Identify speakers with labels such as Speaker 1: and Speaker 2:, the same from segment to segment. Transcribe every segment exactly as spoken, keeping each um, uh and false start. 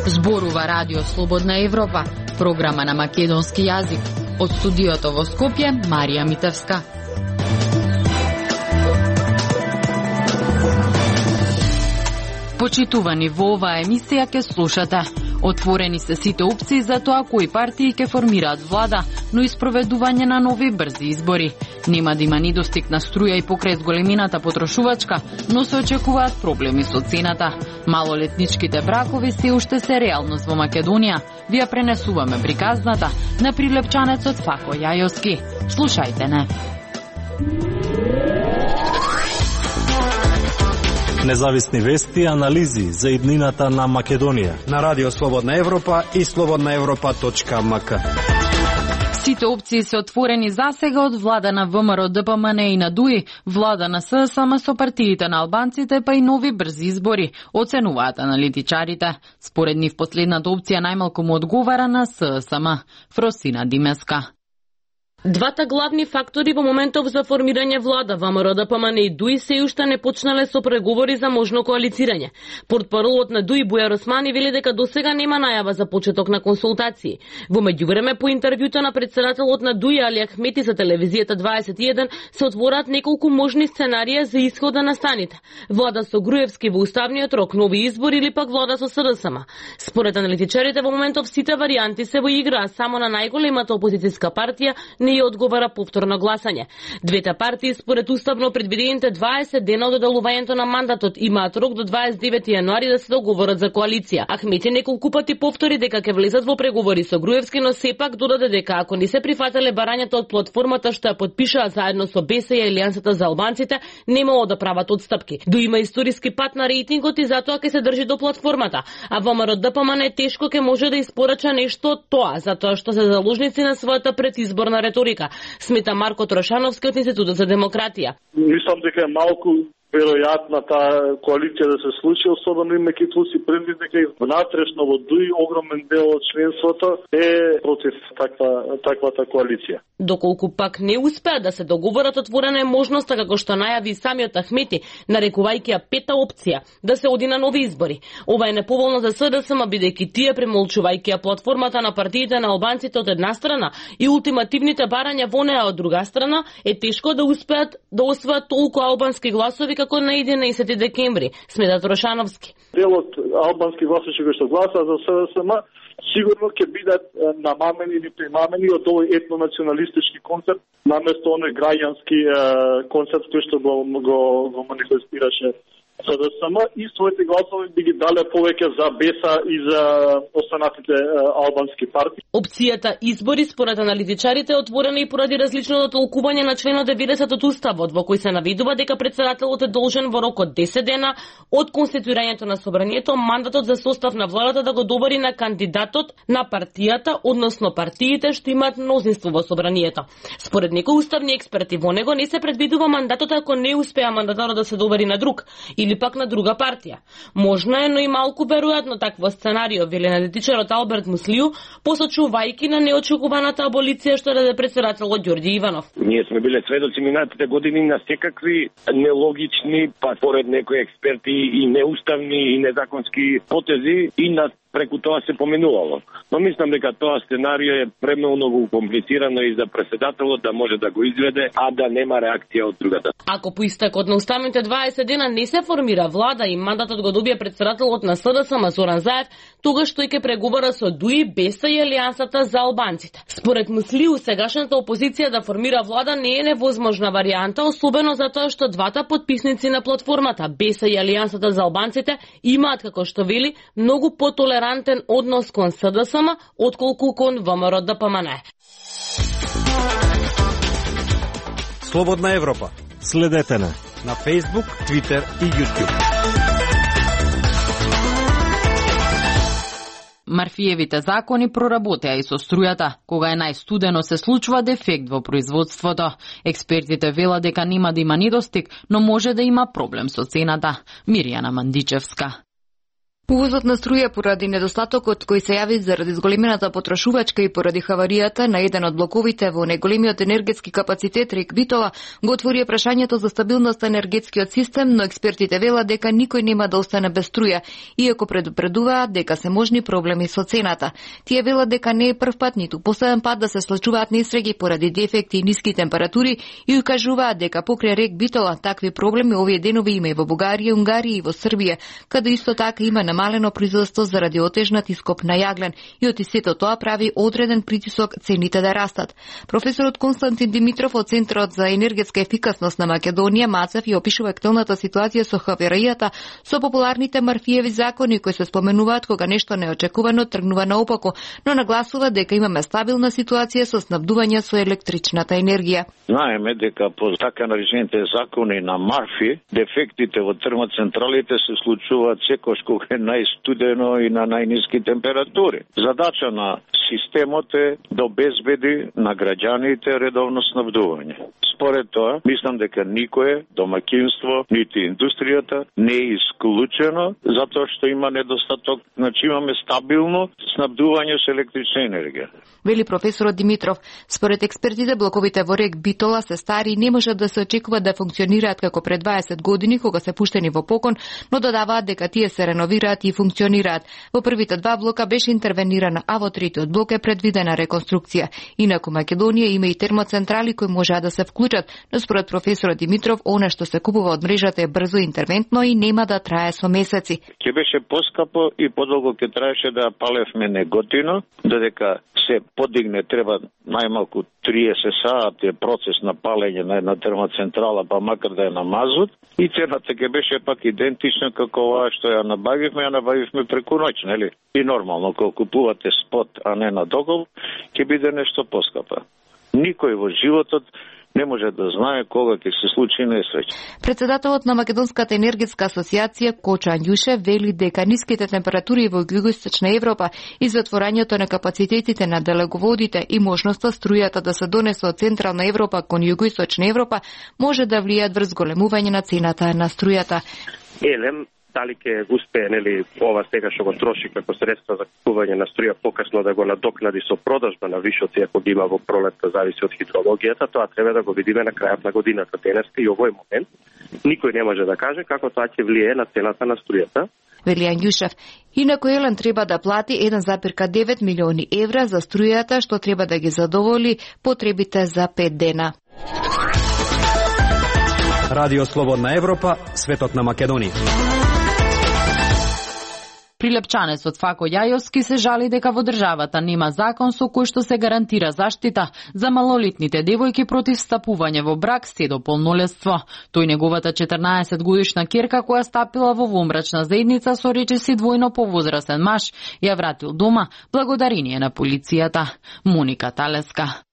Speaker 1: Зборува Радио Слободна Европа, програма на македонски јазик. Од студиото во Скопје, Марија Митевска. Почитувани, во оваа емисија ке слушате. Отворени се сите опции за тоа кои партии ке формираат влада, но и спроведување на нови брзи избори. Нема да има недостиг на струја и покрај зголемината потрошувачка, но се очекуваат проблеми со цената. Малолетничките бракови се уште се реалност во Македонија. Вие пренесуваме приказната на прилепчанецот Фако Јајовски. Слушајте не.
Speaker 2: Независни вести и анализи за иднината на Македонија
Speaker 3: на Радио Слободна Европа и слободна европа точка ем ка.
Speaker 1: Сите опции се отворени засега од влада на ВМРО Д П М Н и на ДУИ, влада на С С М со партиите на албанците, па и нови брзи избори, оценуваат аналитичарите. Според нив последната опција најмалку му одговара на С С М. Фросина Димеска.
Speaker 4: Двата главни фактори во моментов за формирање влада, ВМРО Д П М Н и ДУИ, се уште не почнале со преговори за можно коалицирање. Портпаролот на ДУИ Бујар Османи вели дека досега нема најава за почеток на консултации. Во меѓувреме, по интервјуто на претседателот на ДУИ Али Ахмети за телевизијата дваесет и еден се отвораат неколку можни сценарија за исхода на станите. Влада со Груевски во уставниот рок, нови избори или пак влада со С Д С М. Според аналитичарите во моментов сите варијанти се во игра, а само на најголемата опозицијска партија не ја одговара повторно гласање. Двете партии според уставно предвидените дваесет дена од одделувањето на мандатот имаат рок до дваесет и девети јануари да се договорат за коалиција. Ахмети неколку пати повтори дека ќе влезат во преговори со Груевски, но сепак додаде дека ако не се прифателе барањата од платформата што ја подпишаа заедно со Б С и Алијансата за албанците, немало да прават отстапки. До има историски пат на рейтингот и затоа ќе се држи до платформата, а ВМРО Д П М Н тешко ќе може да испорача нешто од тоа, затоа што се заложници на својата предизборна риторика, смета Марко Трошановски од Институтот за демократија.
Speaker 5: Мислам дека е малку веројатна таа коалиција да се случи, особено имајќи си предвид дека и внатрешно во ДУИ огромен дел од членството е против таква таквата коалиција.
Speaker 4: Доколку пак не успеа да се договорат, отворена е можноста, како што најави самиот Ахмети, нарекувајќи ја пета опција, да се оди на нови избори. Ова е неповолно за С Д С М, бидејќи тие, премолчувајќи ја платформата на партиите на албанците од една страна и ултимативните барања во неа од друга страна, е тешко да успеат да освојат толку албански гласови како на единаесети декември, смета Трошановски.
Speaker 5: Делот албански гласачи кои што гласаа за С Д С М сигурно ќе бидат намамени или примамени од овој етнонационалистички концепт, наместо оној граѓански концепт кој што го, го, го манифестираше С Д С М, и своите гласови би ги дале повеќе за Б С и за останатите албански партии.
Speaker 4: Опцијата избори според аналитичарите е отворена и поради различното толкување на членот деветдесет од Уставот, во кој се наведува дека претседателот е должен во рок од десет дена од конституирањето на собранието мандатот за состав на владата да го довари на кандидатот на партијата, односно партиите што имаат мнозинство во собранието. Според некои уставни експерти во него не се предвидува мандатот ако не успеа мандатарот да се довари на друг или пак на друга партија. Можно е, но и малку веројатно такво сценарио, вели аналитичарот Алберт Муслију, посочувајќи на неочекуваната аболиција што даде претседателот Ѓорѓи Иванов.
Speaker 6: Ние сме биле сведоци минатите години на секакви нелогични, па според некои експерти и неуставни и незаконски потези и на преку тоа се поменувало. Но мислам дека тоа сценарио е премногу комплицирано и за претседателот да може да го изведе, а да нема реакција од другата.
Speaker 4: Ако по истекот на уставните дваесет дена не се формира влада и мандатот го добие претседателот на С Д С М Зоран Заев, тогаш тој ќе преговара со ДУИ, Б С и Алијансата за албанците. Според Муслију, сегашната опозиција да формира влада не е невозможна варијанта, особено затоа што двата потписници на платформата, Б С и Алијансата за албанците, имаат, како што вели, многу потолерантни однос кон С Д С М, отколку кон ВМРО Д П М Н.
Speaker 3: Слободна Европа.
Speaker 2: Следете на
Speaker 3: на Facebook, Twitter и YouTube.
Speaker 1: Марфиевите закони проработеа и со струјата. Кога е најстудено се случува дефект во производството. Експертите велат дека нема да има недостиг, но може да има проблем со цената. Мирјана Мандичевска.
Speaker 7: Увозот на струја поради недостатокот кој се јави заради зголемената потрошувачка и поради хаваријата на еден од блоковите во најголемиот енергетски капацитет рек Битола го отвори прашањето за стабилност на енергетскиот систем, но експертите велат дека никој нема да остане без струја, иако предупредуваат дека се можни проблеми со цената. Тие велат дека не е прв пат ниту последен пат да се случуваат несреќи поради дефекти и ниски температури и укажуваат дека покрај рек Битола такви проблеми овие денови има и во Бугарија, Унгарија и во Србија, каде исто така има намалено производство заради отежнат ископ на јаглен и од сето тоа прави одреден притисок цените да растат. Професорот Константин Димитров од Центарот за енергетска ефикасност на Македонија Мацев ја опишува актуелната ситуација со хаваријата со популарните Марфиеви закони кои се споменуваат кога нешто неочекувано тргнува наопако, но нагласува дека имаме стабилна ситуација со снабдување со електричната енергија.
Speaker 8: Знаеме дека по така наречените закони на Марфи, дефектите во термоцентралите се случуваат секош кога е најстудено и на најниски температури. Задача на системот е да обезбеди на граѓаните редовно снабдување. Според тоа, мислам дека никое домаќинство, нити индустријата не е исклучено затоа што има недостаток, значи имаме стабилно снабдување со електрична енергија.
Speaker 7: Вели професорот Димитров, според експертите блоковите во рек Битола се стари и не може да се очекува да функционираат како пред дваесет години кога се пуштени во покон, но додаваат дека тие се реновираат и функционираат. Во првите два блока беше интервенирана, а во третиот блок е предвидена реконструкција. Инаку Македонија има и термоцентрали кои можеа да се вклучат, но според професорот Димитров, она што се купува од мрежата е брзо интервентно и нема да трае со месеци.
Speaker 8: Ќе беше поскапо и подолго ќе траеше да палевме неготино, додека се подигне треба најмалку триесет сати е процес на палење на една термоцентрала, па макар да е на мазут, и цената ќе беше пак идентична како ова што ја набавивме, ја набавивме преку ноќ, нели? И нормално, кога купувате спот, а не на договор, ќе биде нешто поскапа. Никој во животот не може да знае кога ќе се случи несреќа.
Speaker 7: Председателот на Македонската енергетска асоциација Кочо Анѓуше вели дека ниските температури во југоисточна Европа и затворањето на капацитетите на далеководите и можноста струјата да се донесе од Централна Европа кон југоисточна Европа може да влијаат врз големување на цената на струјата.
Speaker 9: Елем дали ќе успее, нели, ова сега што го троши како средства за купување на струја покасно да го надокнади со продажба на вишоци ако ги има во пролетта, зависи од хидрологијата, тоа треба да го видиме на крајот на годината. Денеска и овој момент никој не може да каже како тоа ќе влие на цената на струјата.
Speaker 7: Вели Анѓушев. Инаку Елен треба да плати еден зарез девет милиони евра за струјата што треба да ги задоволи потребите за пет дена.
Speaker 3: Радио Слободна Европа, светот на Македонија.
Speaker 1: Прилепчанецот Фако Јајовски се жали дека во државата нема закон со кој што се гарантира заштита за малолетните девојки против стапување во брак се до полнолетство. Тој неговата четрнаесет годишна ќерка која стапила во вонбрачна заедница со речиси двојно повозрасен маж ја вратил дома благодарение на полицијата. Моника Талеска.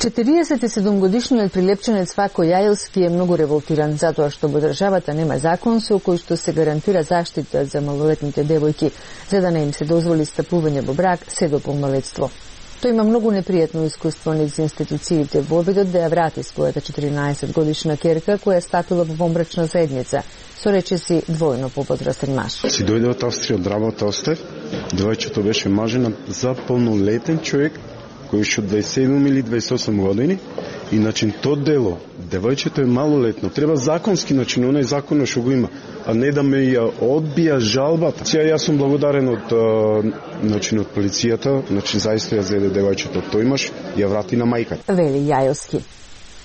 Speaker 10: четириесет и седум годишниот прилепченец Фако Јајовски е многу револтиран затоа што во државата нема закон со кој што се гарантира заштита за малолетните девојки, за да не им се дозволи стапување во брак се до полнолетство. Тој има многу непријатно искуство низ институциите во обидот да ја врати својата четиринаесет годишна ќерка која стапила во вонбрачна заедница со речиси двојно повозрасен маж.
Speaker 11: Си дојде од Австрија, од Работа остав, девојчето беше мажена за полнолетен човек кој уште дваесет и седум или дваесет и осум години, и начин то дело, девојчето е малолетно, треба законски начин, онај законот што го има, а не да ме ја одбија жалбата. Сега јас сум благодарен од начин од полицијата, начин заиста ја зеде девојчето, тој имаш, ја врати на мајката.
Speaker 10: Вели Јајовски.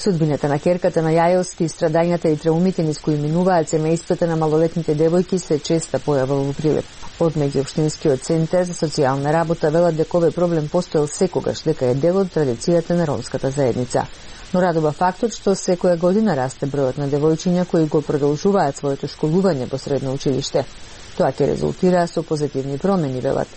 Speaker 10: Судбината на ќерката на Јајовски, страдањата и траумите низ кои минуваат семејствата на малолетните девојки се честа појава во Прилеп. Од меѓуопштинскиот центар за социјална работа велат дека овој проблем постоел секогаш, дека е дел од традицијата на ромската заедница. Но радува фактот што секоја година расте бројот на девојчиња кои го продолжуваат своето школување во средно училиште. Тоа ќе резултира со позитивни промени, велат.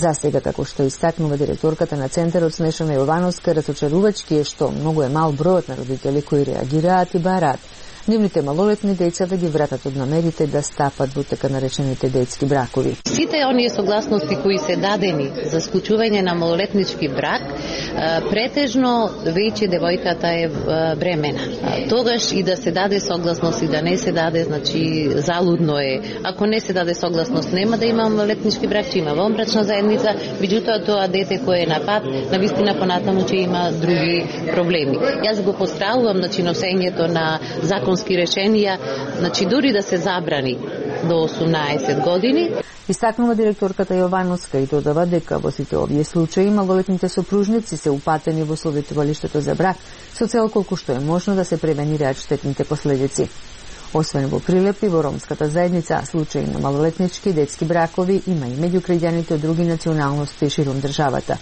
Speaker 10: За сега, како што истакнува директорката на центарот Снешана Јовановска, разочарувачки е што многу е мал бројот на родители кои реагираат и бараат, нивните малолетни деца да ги вратат од намерите да стапат во така наречените детски бракови.
Speaker 12: Сите оние согласности кои се дадени за склучување на малолетнички брак, претежно веќе девојката е бремена. Тогаш и да се даде согласност и да не се даде, значи залудно е. Ако не се даде согласност, нема да има малолетнички брак, че има вонбрачна заедница, меѓутоа тоа дете кое е на пат, навистина понатаму че има други проблеми. Јас го поздравувам значи носењето на законски решенија, значи дури да се забрани до осумнаесет години.
Speaker 10: Истакнува директорката Јовановска и додава дека во сите овие случаи малолетните сопружници се упатени во советувалиштето за брак со цел колку што е можно да се превенираат штетните последици. Освен во Прилеп и во ромската заедница, случаи на малолетнички и детски бракови има и меѓу граѓаните од други националности широм државата.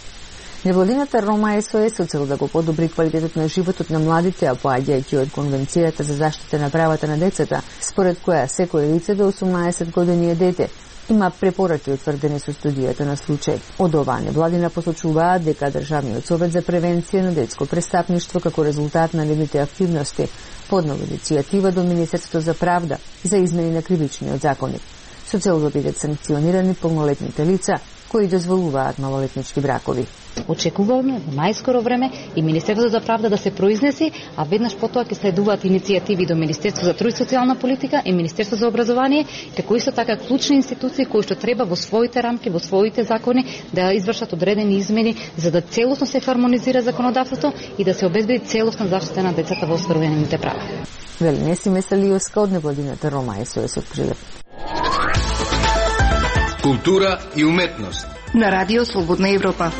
Speaker 10: Невладината Рома ес о ес со цел да го подобри квалитетот на животот на младите, а поаѓајќи од Конвенцијата за заштита на правата на децата, според која секој лице до осумнаесет години е дете, има препораки утврдени со студијата на случај. Од оваа невладина посочуваат дека Државниот совет за превенција на детско престапништво како резултат на нивните активности поднова иницијатива до Министерството за правда за измени на кривичниот законник, со цел да бидат санкционирани полнолетните лица кои дозволуваат малолетнички бракови.
Speaker 13: Очекуваме во најскоро време и Министерството за правда да се произнеси, а веднаш потоа ќе следуваат иницијативи до Министерството за труд и социјална политика и Министерството за образование, како исто така клучни институции кои што треба во своите рамки, во своите закони да извршат одредени измени за да целосно се хармонизира законодавството и да се обезбеди целосна заштита на децата во остваруваните права.
Speaker 10: Вели Несиме Салиоска од невладината Рома ес о ес од Прилеп.
Speaker 14: Култура и уметност
Speaker 7: на Радио Слободна Европа.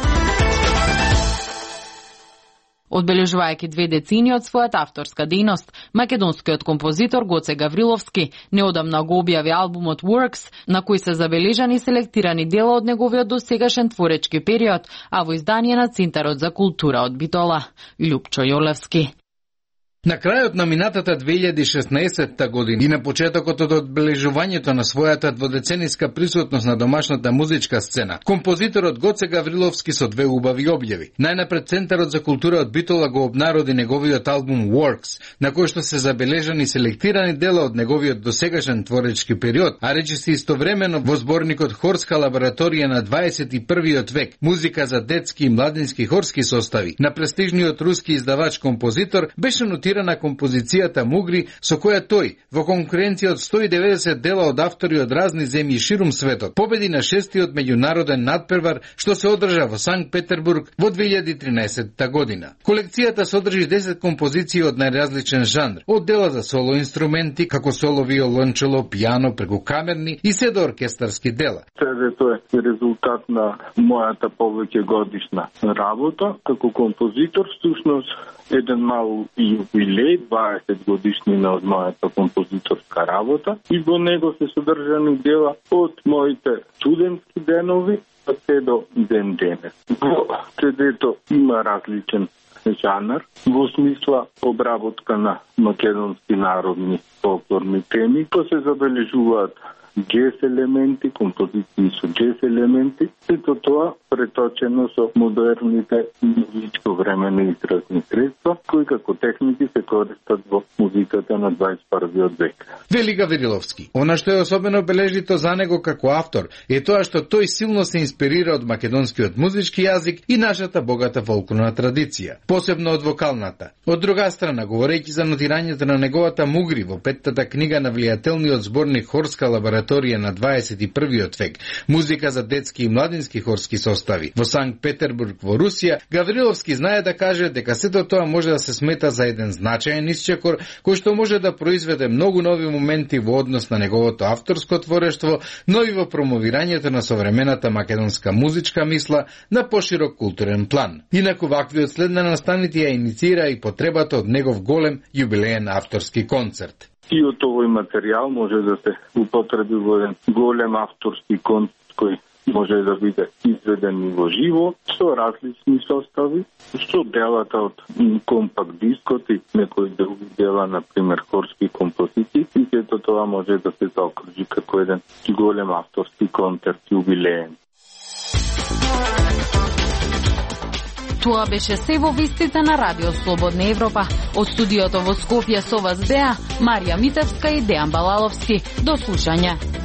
Speaker 1: Одбележувајќи две децини од својата авторска дејност, македонскиот композитор Гоце Гавриловски неодамна го објави албумот Works, на кој се забележани селектирани дела од неговиот досегашен творечки период, а во издание на Центарот за култура од Битола. Љупчо Јолевски.
Speaker 14: На крајот на минатата две илјади и шеснаесетта година и на почетокот од одбележувањето на својата дводецениска присутност на домашната музичка сцена, композиторот Гоце Гавриловски со две убави објави. Најнапред Центарот за култура од Битола го обнароди неговиот албум Works, на кој што се забележани селектирани дела од неговиот досегашен творечки период, а речиси истовремено во зборникот Хорска лабораторија на дваесет и првиот век, музика за детски и младински хорски состави, на престижниот руски издавач-композитор беше нотирана на композицијата Мугри, со која тој, во конкуренција од сто и деветдесет дела од автори од разни земји ширум светот, победи на шестиот меѓународен надпревар што се одржа во Санкт Петербург во две илјади и тринаесетта година. Колекцијата содржи десет композиции од најразличен жанр, од дела за соло инструменти, како соло виолончело, пијано, преку камерни и се до оркестарски дела.
Speaker 15: Тоа е резултат на мојата повеќе годишна работа како композитор, всушност еден мал јубилеј, дваесет годишнина од мојата композиторска работа, и во него се содржани дела од моите студентски денови па се до ден денес. Во цедето има различен жанр, во смисла обработка на македонски народни фолклорни теми, па се забележуваат джез елементи, композиции со джез елементи, сето тоа преточено со модерните музичко времени изразни средства, кои како техники се користат во музиката на дваесет и првиот век.
Speaker 14: Вели Гавриловски, она што е особено бележито за него како автор е тоа што тој силно се инспирира од македонскиот музички јазик и нашата богата фолклорна традиција, посебно од вокалната. Од друга страна, говорејќи за нотирањето на неговата Мугри во петтата книга на влијателниот зборник Хорска лабораторија на дваесет и првиот век, музика за детски и младински хорски состави во Санкт Петербург во Русија, Гавриловски знае да каже дека сето тоа може да се смета за еден значаен исчекор кој што може да произведе многу нови моменти во однос на неговото авторско творештво, но и во промовирањето на современата македонска музичка мисла на поширок културен план. Инаку ваквиот след на настаните ја инициира и потребата од негов голем јубилеен авторски концерт.
Speaker 15: И од овој материјал може да се употреби во еден голем авторски концерт кој може да биде изведен и во живо, со различни состави, со делата од компакт дискот и некои други дела, например хорски композиции, и сето тоа може да се заокружи како еден голем авторски концерт јубилеен.
Speaker 1: Тоа беше се во вестите на Радио Слободна Европа. Од студиото во Скопје со вас беа Марија Митевска и Дејан Балаловски. До слушање.